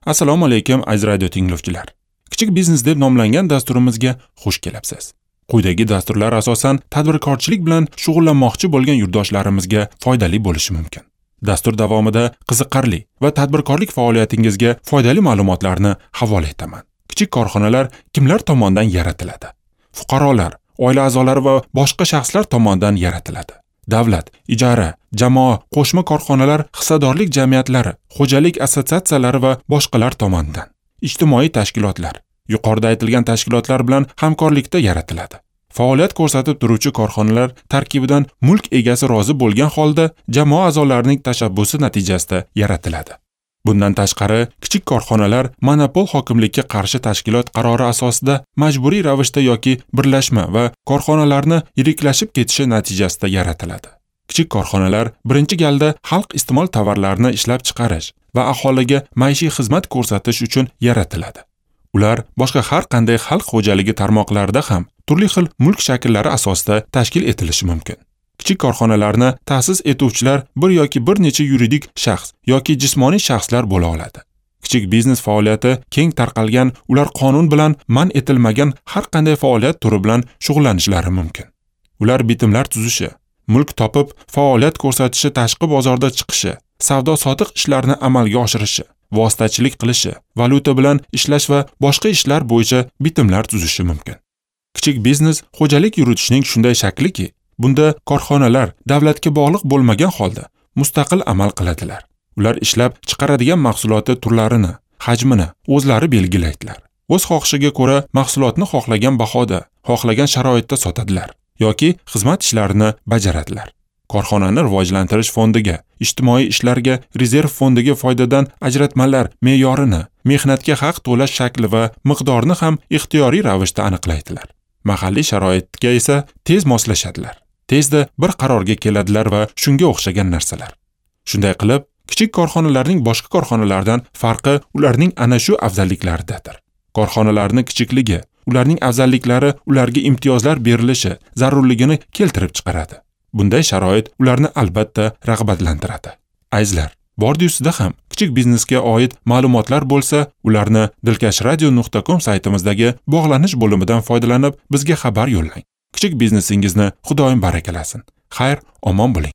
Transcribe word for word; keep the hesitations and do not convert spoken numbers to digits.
Assalomu alaykum aziz radio tinglovchilar. Kichik biznes deb nomlangan dasturimizga xush kelibsiz. Quyidagi dasturlar asosan tadbirkorchilik bilan shug'ullanmoqchi bo'lgan yurtdoshlarimizga foydali bo'lishi mumkin. Dastur davomida qiziqarli va tadbirkorlik faoliyatingizga foydali ma'lumotlarni havola etaman. Kichik korxonalar kimlar tomonidan yaratiladi? Fuqarolar, oila a'zolari va boshqa shaxslar tomonidan yaratiladi. Davlat, ijara, jamoa, qo'shma korxonalar, hissadorlik jamiyatlari, xo'jalik assotsiatsiyalari va boshqalar tomonidan. Ijtimoiy tashkilotlar, yuqorida aytilgan tashkilotlar bilan hamkorlikda yaratiladi. Faoliyat ko'rsatib turuvchi korxonalar tarkibidan mulk egasi rozi bo'lgan holda jamoa a'zolarining tashabbusi natijasida yaratiladi. Bundan tashqari, kichik korxonalar monopol hokimlikka qarshi tashkilot qarori asosida majburiy ravishda yoki birlashma va korxonalarni yiriklashib ketishi natijasida yaratiladi. Kichik korxonalar birinchi galda xalq iste'mol tovarlarini ishlab chiqarish va aholiga maishiy xizmat ko'rsatish uchun yaratiladi. Ular boshqa har qanday xalq xo'jaligi tarmoqlarida ham turli xil mulk shakllari asosida tashkil etilishi mumkin. Kichik korxonalarni ta'sis etuvchilar bir yoki bir necha yuridik shaxs yoki jismoniy shaxslar bo'la oladi. Kichik biznes faoliyati keng tarqalgan, ular qonun bilan man etilmagan har qanday faoliyat turi bilan shug'ullanishlari mumkin. Ular bitimlar tuzishi, mulk topib faoliyat ko'rsatishi, tashqi bozorda chiqishi, savdo-sotiq ishlarini amalga oshirishi, vositachilik qilishi, valyuta bilan ishlash va boshqa ishlar bo'yicha bitimlar tuzishi mumkin. Kichik biznes xo'jalik yuritishning shunday shakliki, bunda korxonalar davlatga bog'liq bo'lmagan holda mustaqil amal qiladilar. Ular ishlab chiqaradigan mahsuloti turlarini, hajmini o'zlari belgilaydilar. O'z xohishiga ko'ra mahsulotni xohlagan bahoda, xohlagan sharoitda sotadilar yoki xizmat ishlarini bajaradilar. Korxonani rivojlantirish fondiga, ijtimoiy ishlarga rezerv fondiga foydadan ajratmalar me'yorini, mehnatga haq to'lash shakli va miqdorini ham ixtiyoriy ravishda aniqlaydilar. Mahalliy sharoitga esa tez moslashadilar. Tezda bir qarorga keladilar va shunga o'xshagan narsalar. Shunday qilib, kichik korxonalarning boshqa korxonalardan farqi ularning ana shu afzalliklaridadir. Korxonalarning kichikligi, ularning afzalliklari ularga imtiyozlar berilishi zarurligini keltirib chiqaradi. Bunday sharoit ularni albatta rag'batlantiradi. Azizlar, bordi-ustida ham kichik biznesga oid ma'lumotlar bo'lsa, ularni dilkash radio nuqta com saytimizdagi bog'lanish bo'limidan foydalanib bizga xabar yo'llang. Kichik biznesingizni Xudoyim barakalasin. Xayr, omon bo'ling.